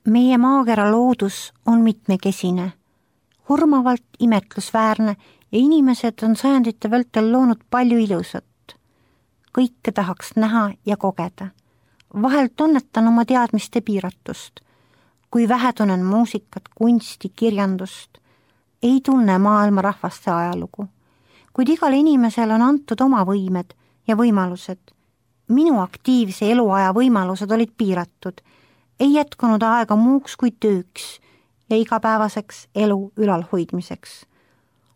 Meie maakera loodus on mitmekesine, hurmavalt imetlusväärne ja inimesed on sajandite vältel loonud palju ilusat. Kõike tahaks näha ja kogeda. Vahel tunnetan oma teadmiste piiratust. Kui vähe tunnen muusikat, kunsti, kirjandust, ei tunne maailma rahvaste ajalugu. Kuid igal inimesel on antud oma võimed ja võimalused. Minu aktiivse eluaja võimalused olid piiratud. Ei jätkunud aega muuks kui tööks ja igapäevaseks elu ülalhoidmiseks.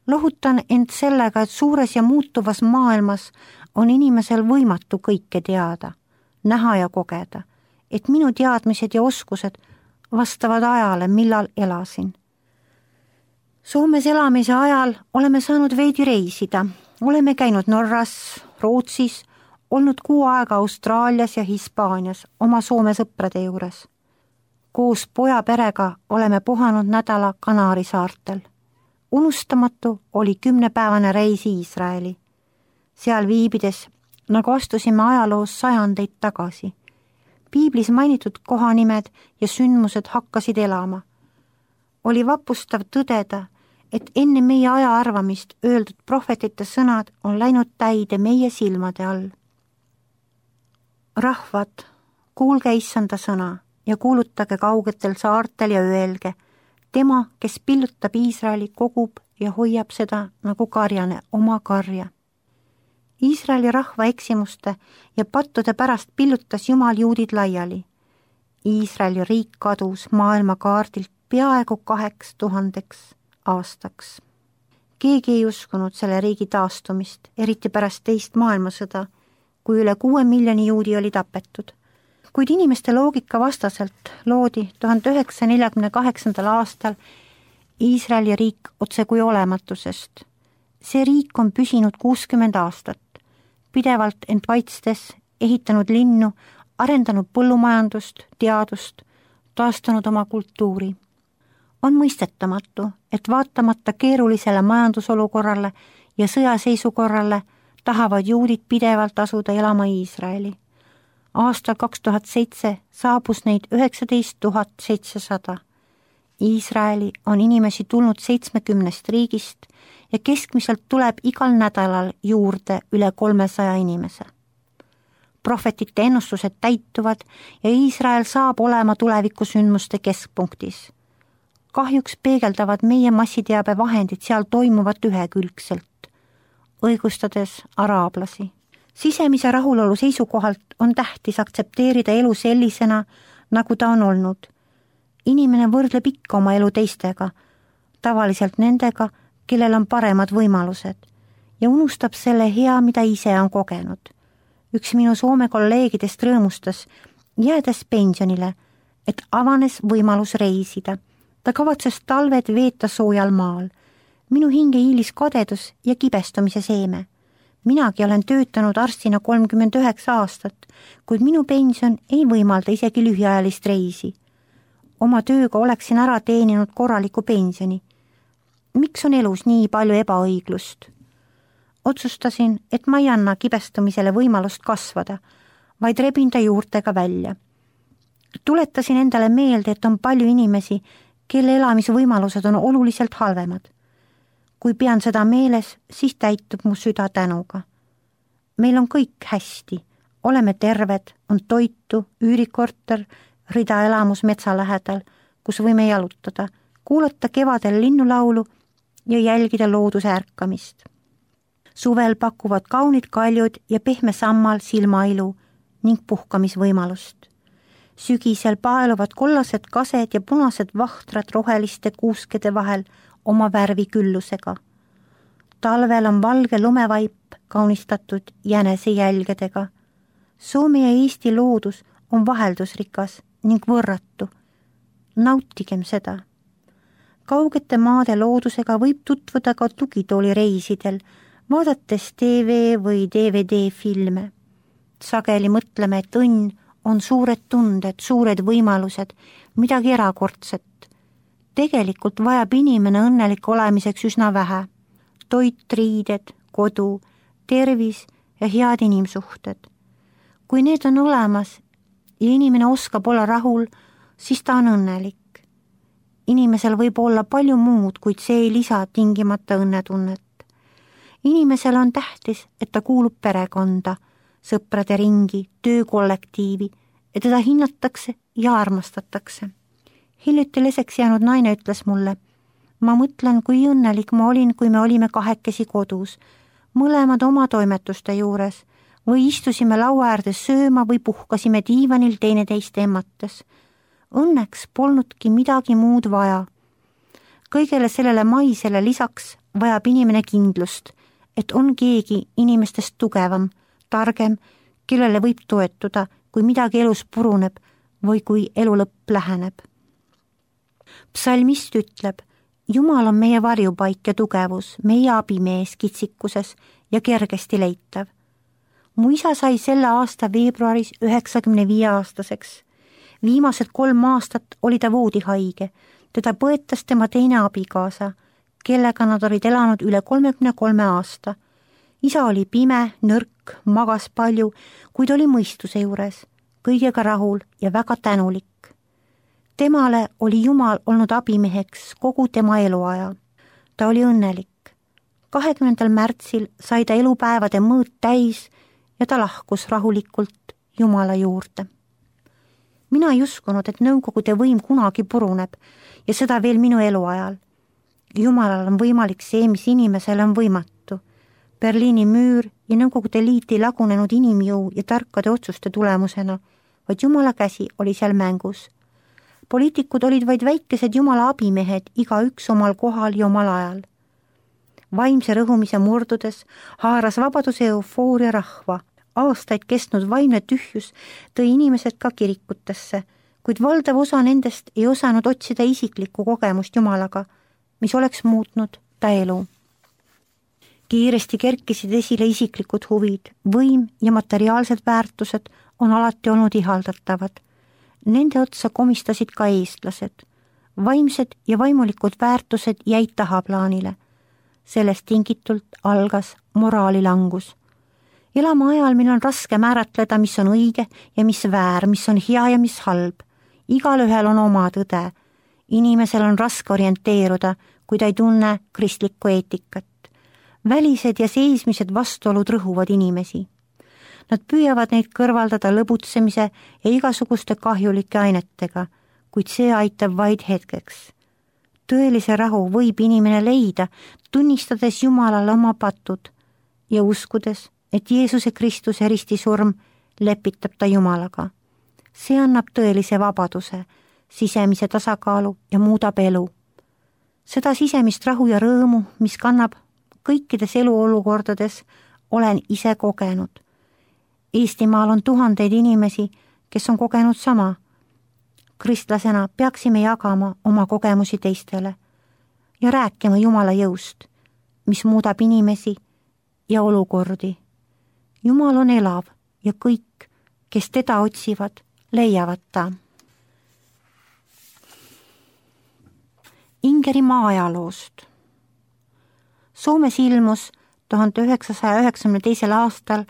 Lohutan end sellega, et suures ja muutuvas maailmas on inimesel võimatu kõike teada, näha ja kogeda, et minu teadmised ja oskused vastavad ajale, millal elasin. Soomes elamise ajal oleme saanud veidi reisida. Oleme käinud Norras, Rootsis, olnud 6 aega Austraalias ja Hispaanias oma Soome sõprade juures. Koos poja perega oleme puhanud nädala Kanaari saartel. Unustamatu oli 10-päevane reis Iisraeli. Seal viibides, nagu astusime ajaloos sajandeid tagasi. Piiblis mainitud kohanimed ja sündmused hakkasid elama. Oli vapustav tõdeda, et enne meie aja arvamist öeldud prohvetite sõnad on läinud täide meie silmade all. Rahvad, kuulge issanda sõna ja kuulutage kaugetel saartel ja öelge, tema, kes pillutab Iisraeli, kogub ja hoiab seda nagu karjane oma karja. Iisraeli rahva eksimuste ja pattude pärast pillutas Jumal juudid laiali. Iisraeli riik kadus maailma kaardilt peaaegu 2000 aastaks. Keegi ei uskunud selle riigi taastumist, eriti pärast teist maailmasõda, kui üle 6 miljoni juudi oli tapetud. Kuid inimeste loogika vastaselt loodi 1948. aastal Iisraeli riik otse kui olematusest. See riik on püsinud 60 aastat, pidevalt end kaitstes, ehitanud linnu, arendanud põllumajandust, teadust, taastanud oma kultuuri. On mõistetamatu, et vaatamata keerulisele majandusolukorrale ja sõjaseisukorrale tahavad juudid pidevalt asuda elama Iisraeli. Aastal 2007 saabus neid 19 700. Iisraeli on inimesi tulnud 70 riigist ja keskmiselt tuleb igal nädalal juurde üle 300 inimese. Prohvetite ennustused täituvad ja Iisrael saab olema tulevikusündmuste keskpunktis. Kahjuks peegeldavad meie massiteabe vahendid seal toimuvat ühekülgselt, õigustades araablasi. Sisemise rahulolu seisukohalt on tähtis aktsepteerida elu sellisena, nagu ta on olnud. Inimene võrdleb ikka oma elu teistega, tavaliselt nendega, kellel on paremad võimalused, ja unustab selle hea, mida ise on kogenud. Üks minu Soome kolleegidest rõõmustas, jäädes pensionile, et avanes võimalus reisida. Ta kavatses talved veeta soojal maal. Minu hinge hiilis kadedus ja kibestumise seeme. Minagi olen töötanud arstina 39 aastat, kuid minu pension ei võimalda isegi lühiajalist reisi. Oma tööga oleksin ära teeninud korraliku pensioni. Miks on elus nii palju ebaõiglust? Otsustasin, et ma ei anna kibestumisele võimalust kasvada, vaid rebin ta juurtega välja. Tuletasin endale meelde, et on palju inimesi, kelle elamisvõimalused on oluliselt halvemad. Kui pean seda meeles, siis täitub mu süda tänuga. Meil on kõik hästi, oleme terved, on toitu, üürikorter, rida elamus metsa lähedal, kus võime jalutada, kuulata kevadel linnulaulu ja jälgida looduse ärkamist. Suvel pakuvad kaunid kaljud ja pehme sammal silmailu ning puhkamisvõimalust. Sügisel paeluvad kollased kased ja punased vahtrad roheliste kuuskede vahel oma värviküllusega. Talvel on valge lumevaip kaunistatud jänese jälgedega. Soome ja Eesti loodus on vaheldusrikas ning võrratu. Nautigem seda. Kaugete maade loodusega võib tutvuda ka tugitooli reisidel, vaadates TV või DVD filme. Sageli mõtleme, et õnn on suured tunded, suured võimalused, midagi erakordset. Tegelikult vajab inimene õnnelik olemiseks üsna vähe. Toit, riided, kodu, tervis ja head inimsuhted. Kui need on olemas ja inimene oskab olla rahul, siis ta on õnnelik. Inimesel võib olla palju muud, kuid see ei lisa tingimata õnnetunnet. Inimesel on tähtis, et ta kuulub perekonda, sõprade ringi, töökollektiivi, et teda hinnatakse ja armastatakse. Hiljuti leseks jäänud naine ütles mulle, ma mõtlen, kui õnnelik ma olin, kui me olime kahekesi kodus, mõlemad oma toimetuste juures, või istusime laua äärde sööma või puhkasime diivanil teineteist emmates. Õnneks polnudki midagi muud vaja. Kõigele sellele maisele lisaks vajab inimene kindlust, et on keegi inimestest tugevam, targem, kellele võib toetuda, kui midagi elus puruneb või kui elu lõpp läheneb. Psalmist ütleb, Jumal on meie varjupaik ja tugevus, meie abimees kitsikuses ja kergesti leitav. Mu isa sai selle aasta veebruaris 95-aastaseks. Viimased 3 aastat oli ta voodihaige, teda põetas tema teine abikaasa, kellega nad olid elanud üle 33 aasta. Isa oli pime, nõrk, magas palju, kuid oli mõistuse juures, kõigega rahul ja väga tänulik. Temale oli Jumal olnud abimeheks kogu tema eluaja. Ta oli õnnelik. 20. märtsil sai ta elupäevade mõõt täis ja ta lahkus rahulikult Jumala juurde. Mina ei uskunud, et Nõukogude võim kunagi puruneb ja seda veel minu eluajal. Jumalal on võimalik see, mis inimesele on võimatu. Berliini müür ja Nõukogude Liit ei lagunenud inimjõu ja tarkade otsuste tulemusena, vaid Jumala käsi oli seal mängus. Poliitikud olid vaid väikesed Jumala abimehed, igaüks omal kohal ja omal ajal. Vaimse rõhumise murdudes haaras vabaduse eufooria rahva. Aastaid kestnud vaimne tühjus tõi inimesed ka kirikutesse, kuid valdav osa nendest ei osanud otsida isiklikku kogemust Jumalaga, mis oleks muutnud ta elu. Kiiresti kerkisid esile isiklikud huvid, võim ja materiaalsed väärtused on alati olnud ihaldatavad. Nende otsa komistasid ka eestlased. Vaimsed ja vaimulikud väärtused jäid tahaplaanile. Sellest tingitult algas moraalilangus. Elame ajal, mil on raske määratleda, mis on õige ja mis väär, mis on hea ja mis halb. Igalühel on oma tõde. Inimesel on raske orienteeruda, kui ta ei tunne kristlikku eetikat. Välised ja seismised vastuolud rõhuvad inimesi. Nad püüavad neid kõrvaldada lõbutsemise ja igasuguste kahjulike ainetega, kuid see aitab vaid hetkeks. Tõelise rahu võib inimene leida, tunnistades Jumalale oma patud ja uskudes, et Jeesuse Kristuse ristisurm lepitab ta Jumalaga. See annab tõelise vabaduse, sisemise tasakaalu ja muudab elu. Seda sisemist rahu ja rõõmu, mis kannab kõikides eluolukordades, olen ise kogenud. Eestimaal on tuhandeid inimesi, kes on kogenud sama. Kristlasena peaksime jagama oma kogemusi teistele ja rääkima Jumala jõust, mis muudab inimesi ja olukordi. Jumal on elav ja kõik, kes teda otsivad, leiavad ta. Ingerimaa ajaloost. Soomes ilmus 1992. aastal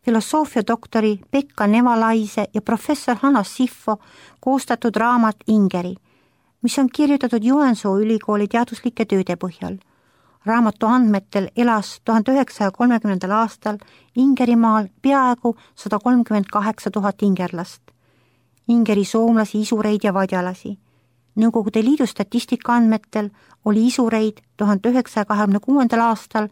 filosoofiadoktori Pekka Nevalaise ja professor Hannas Siffo koostatud raamat Ingeri, mis on kirjutatud Joensuu ülikooli teaduslike tööde põhjal. Raamatu andmetel elas 1930. aastal Ingerimaal peaaegu 138 000 ingerlast. Ingeri soomlasi, isureid ja vadjalasi. Nõukogude Liidu statistika andmetel oli isureid 1926. aastal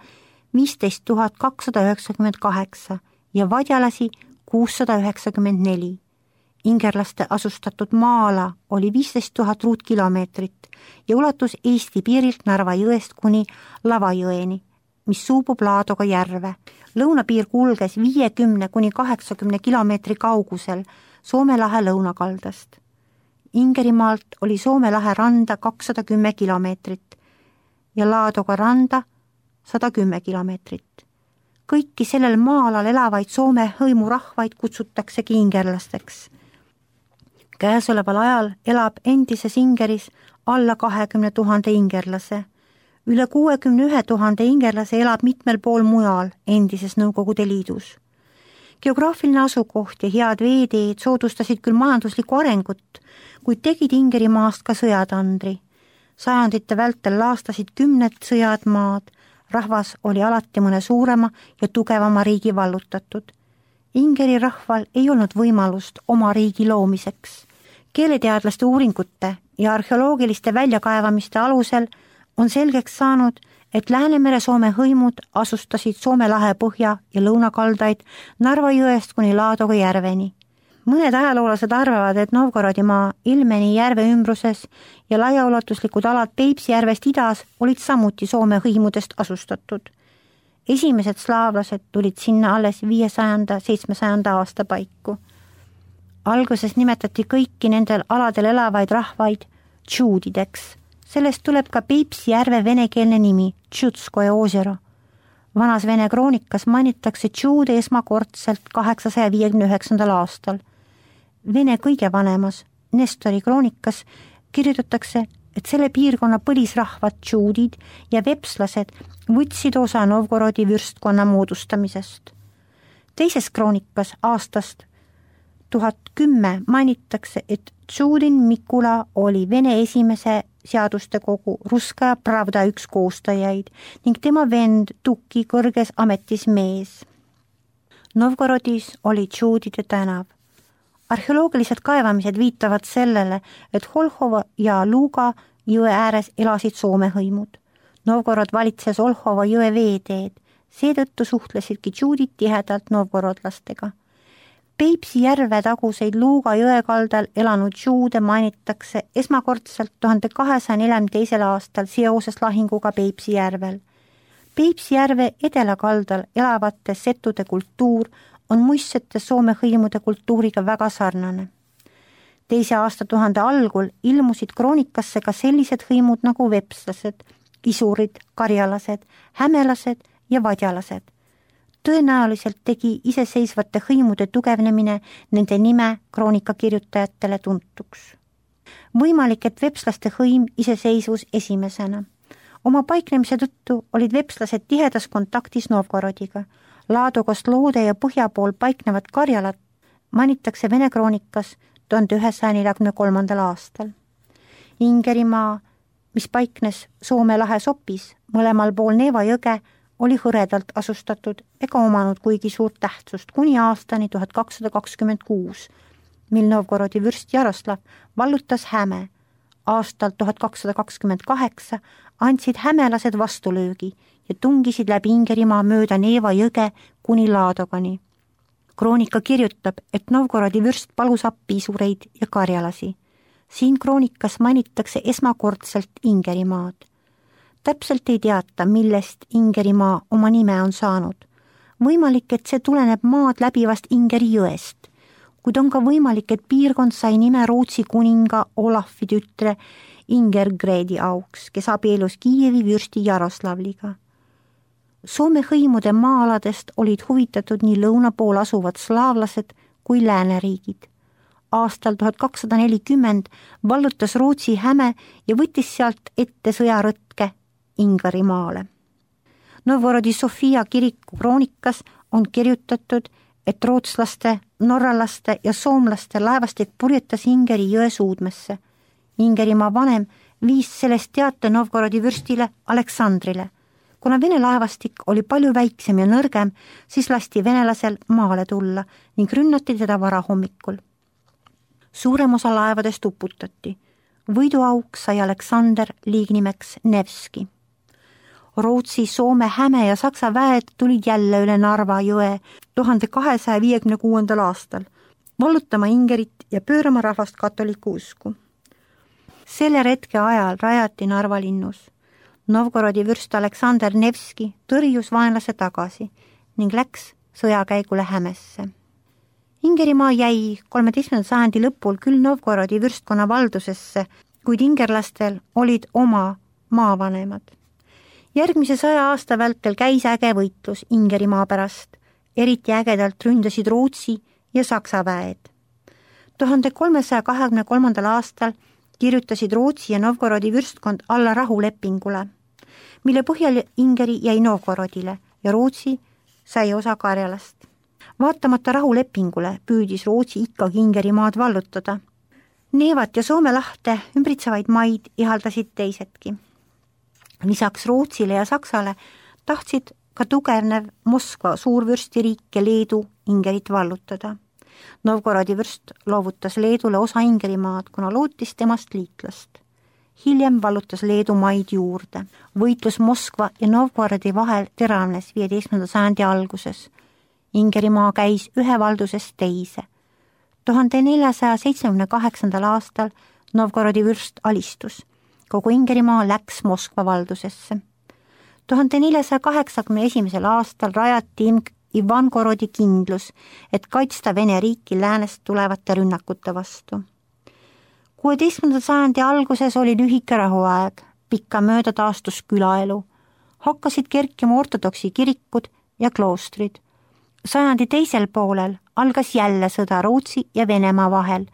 15 298 ja vadjalasi 694. Ingerlaste asustatud maa-ala oli 15 000 ruutkilomeetrit ja ulatus Eesti piirilt Narva jõest kuni Lavajõeni, mis suubub Laadoga järve. Lõunapiir kulges 50 kuni 80 kilomeetri kaugusel Soome lahe lõunakaldast. Ingerimaalt oli Soome lahe randa 210 kilomeetrit ja Laadoga randa 110 kilomeetrit. Kõiki sellel maa-alal elavaid Soome hõimurahvaid kutsutaksegi ingerlasteks. Käesoleval ajal elab endises Ingeris alla 20 000 ingerlase. Üle 61 000 ingerlase elab mitmel pool mujal endises Nõukogude Liidus. Geograafiline asukoht ja head veeteed soodustasid küll majanduslikku arengut, kuid tegid Ingerimaast ka sõjatandri. Sajandite vältel laastasid 10 sõjad maad, rahvas oli alati mõne suurema ja tugevama riigi vallutatud. Ingeri rahval ei olnud võimalust oma riigi loomiseks. Keeleteadlaste uuringute ja arheoloogiliste väljakaevamiste alusel on selgeks saanud, et Läänemere Soome hõimud asustasid Soome lahe põhja- ja lõunakaldaid Narva jõest kuni Laadoga järveni. Mõned ajaloolased arvavad, et Novgorodimaa, Ilmeni järve ümbruses ja laiaulatuslikud alad Peipsi järvest idas olid samuti Soome hõimudest asustatud. Esimesed slaavlased tulid sinna alles 500-700 aasta paiku. Alguses nimetati kõiki nendel aladel elavaid rahvaid tšuudideks. Sellest tuleb ka Peipsi järve venekeelne nimi, Tšutskoje oosero. Vanas Vene kroonikas mainitakse tšuude esmakordselt 859. aastal. Vene kõige vanemas Nestori kroonikas kirjutatakse, et selle piirkonna põlisrahvad tšuudid ja vepslased võtsid osa Novgorodi vürstkonna moodustamisest. Teises kroonikas aastast 1010 mainitakse, et Tšuudin Mikula oli Vene esimese seaduste kogu Ruskaja Pravda üks koostajaid ning tema vend Tuki kõrges ametis mees. Novgorodis oli tšuudide tänav. Arheoloogilised kaevamised viitavad sellele, et Olhova ja Luga jõe ääres elasid Soome hõimud. Novgorod valitses Olhova jõe veeteed, seetõttu suhtlesidki tšuudid tihedalt novgorodlastega. Peipsi järve taguseid Luuga jõekaldal elanud tšuude mainitakse esmakordselt 1242. aastal seoses lahinguga Peipsi järvel. Peipsi järve edelakaldal elavate settude kultuur on muistsete Soome hõimude kultuuriga väga sarnane. Teise aastatuhande algul ilmusid kroonikasse ka sellised hõimud nagu vepslased, isurid, karjalased, hämelased ja vadjalased. Tõenäoliselt tegi iseseisvate hõimude tugevnemine nende nime kroonikakirjutajatele tuntuks. Võimalik, et vepslaste hõim iseseisvus esimesena. Oma paiknemise tõttu olid vepslased tihedas kontaktis Novgorodiga. Laadogost loode ja põhja pool paiknevad karjalad mainitakse Vene kroonikas 1143. aastal. Ingerimaa, mis paiknes Soome lahe sopis mõlemal pool Neeva jõge, oli hõredalt asustatud ega omanud kuigi suurt tähtsust kuni aastani 1226, mil Novgorodi vürst Jaroslav vallutas Häme. Aastal 1228 andsid hämelased vastulöögi ja tungisid läbi Ingerimaa mööda Neeva jõge kuni Laadogani. Kroonika kirjutab, et Novgorodi vürst palus appi isureid ja karjalasi. Siin kroonikas mainitakse esmakordselt Ingerimaad. Täpselt ei teata, millest Ingerimaa oma nime on saanud. Võimalik, et see tuleneb maad läbivast Ingeri jõest, kuid on ka võimalik, et piirkond sai nime Rootsi kuninga Olafi tütre Ingergredi auks, kes abielus Kiievi vürsti Jaroslavliga. Soome hõimude maa-aladest olid huvitatud nii lõuna pool asuvad slaavlased kui lääneriigid. Aastal 1240 vallutas Rootsi Häme ja võttis sealt ette sõjarõtke Ingerimaale. Novgorodi Sofia kiriku kroonikas on kirjutatud, et rootslaste, norralaste ja soomlaste laevastik purjetas Ingeri jõe suudmesse. Ingerimaa vanem viis sellest teate Novgorodi vürstile Aleksandrile. Kuna Vene laevastik oli palju väiksem ja nõrgem, siis lasti venelasel maale tulla ning rünnati teda varahommikul. Suurem osa laevadest uputati. Võiduauk sai Aleksander liignimeks Nevski. Rootsi, Soome, Häme ja Saksa väed tulid jälle üle Narva jõe 1256. aastal, vallutama Ingerit ja pöörama rahvast katoliku usku. Selle retke ajal rajati Narva linnus. Novgorodi vürst Aleksander Nevski tõrjus vaenlase tagasi ning läks sõjakäigule Hämesse. Ingerimaa jäi 13. sajandi lõpul küll Novgorodi vürstkonna valdusesse, kuid ingerlastel olid oma maavanemad. Järgmise 100 aasta vältel käis äge võitlus Ingerimaa pärast. Eriti ägedalt ründasid Rootsi ja Saksa väed. 1323. aastal kirjutasid Rootsi ja Novgorodi vürstkond alla rahulepingule, mille põhjal Ingeri jäi Novgorodile ja Rootsi sai osa Karjalast. Vaatamata rahulepingule püüdis Rootsi ikkagi Ingerimaad vallutada. Neevat ja Soome lahte ümbritsevaid maid ihaldasid teisedki. Lisaks Rootsile ja Saksale tahtsid ka tugevnev Moskva suurvürstiriik ja Leedu Ingerit vallutada. Novgorodi vürst loovutas Leedule osa Ingerimaad, kuna lootis temast liitlast. Hiljem vallutas Leedu maid juurde. Võitlus Moskva ja Novgorodi vahel teravnes 15. sajandi alguses. Ingerimaa käis ühe valdusest teise. 1478. aastal Novgorodi vürst alistus. Kogu Ingerimaa läks Moskva valdusesse. 1481. aastal rajati Ivangorodi kindlus, et kaitsta Vene riiki läänest tulevate rünnakute vastu. 16. sajandi alguses oli lühike rahuaeg, pikkamööda taastus külaelu. Hakkasid kerkima ortodoksi kirikud ja kloostrid. Sajandi teisel poolel algas jälle sõda Rootsi ja Venemaa vahel.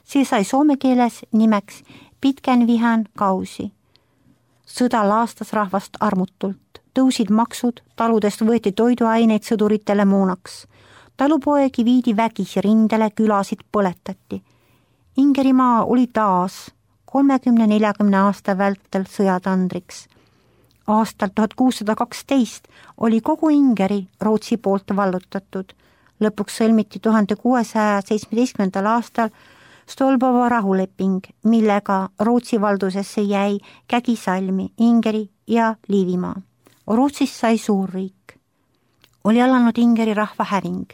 See sai soome keeles nimeks Pitkenvihan kausi. Sõda laastas rahvast armutult. Tõusid maksud, taludest võeti toiduaineid sõduritele moonaks. Talupoegi viidi vägisi rindele, külasid põletati. Ingerimaa oli taas 30-40 aasta vältel sõjatandriks. Aastal 1612 oli kogu Ingeri Rootsi poolt vallutatud. Lõpuks sõlmiti 1617. aastal Stolbovo rahuleping, millega Rootsi valdusesse jäi Kägisalmi, Ingeri ja Liivimaa. Rootsist sai suurriik. Oli alanud Ingeri rahva häving,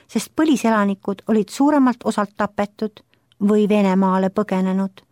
sest põliselanikud olid suuremalt osalt tapetud või Venemaale põgenenud.